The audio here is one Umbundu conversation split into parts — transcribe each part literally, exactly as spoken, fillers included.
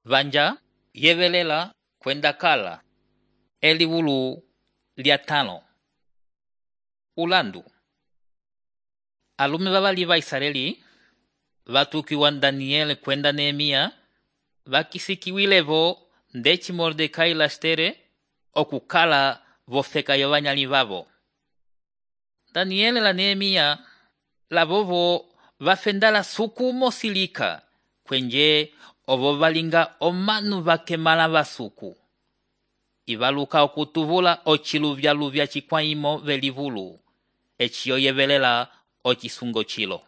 vanja yevelela kwenda kala eliwulu lya tano. Ulandu. Alume vavali va Israeli vatukiwa Daniel kwenda Nehemia vakisikiwilevo ndeci Mordekai la Estere okukala vofeka yovanyali vavo. Daniel la Nehemia lavovo vafendala suku mosilika kwenje ovo valinga omanu vakemala vasuku. Ivaluka okutuvula ochiluvya-luvya chikwaimo velivulu, echiyo yevelela ochisungo chilo.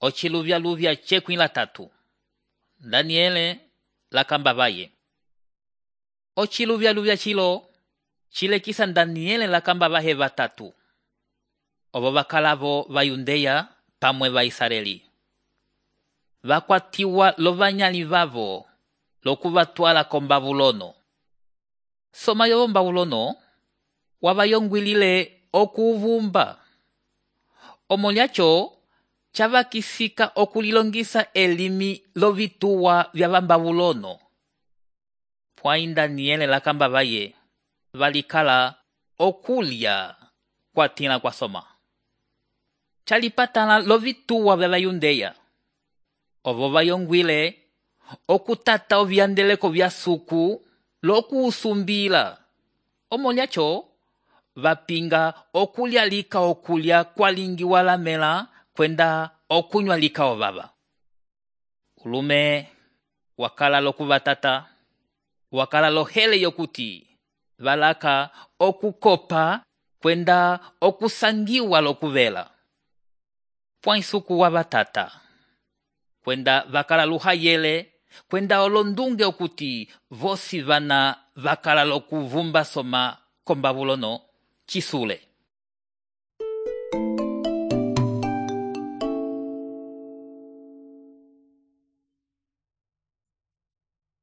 Ochiluvya-luvya chekwi la tatu. Daniele la kamba vaye. Ochiluvya-luvya chilo chilekisa Daniele la kamba vahe vatatu. Ovo vakalavo va Yundeya pamwe va Israeli. Vakwatiwa lovanyali vavo lokuvatwala ko Babulono. Soma yovo Babulono wavayongwilile okuvumba. Omolyacho chavakisika okulilongisa elimi lovituwa vya Babulono. Pwai Daniele la kamba vaye valikala okulya kwa tina kwa soma. Chalipatala lovituwa vya Yundeya. Ovo vayongwile okutata ovyandeleko vya suku lokuusumbila. Omolyacho vapinga okulya lika okulya kwalingi walamela kwenda okunywa lika ovava. Ulume wakala lokuvatata, wakala lohele yokuti valaka okukopa kwenda okusangiwa lokuvela. Pwaisuku wa vatata kwenda vakala luhayele kwenda olondunge okuti vosi vana vakala lokuvumba soma ko Babulono chisule.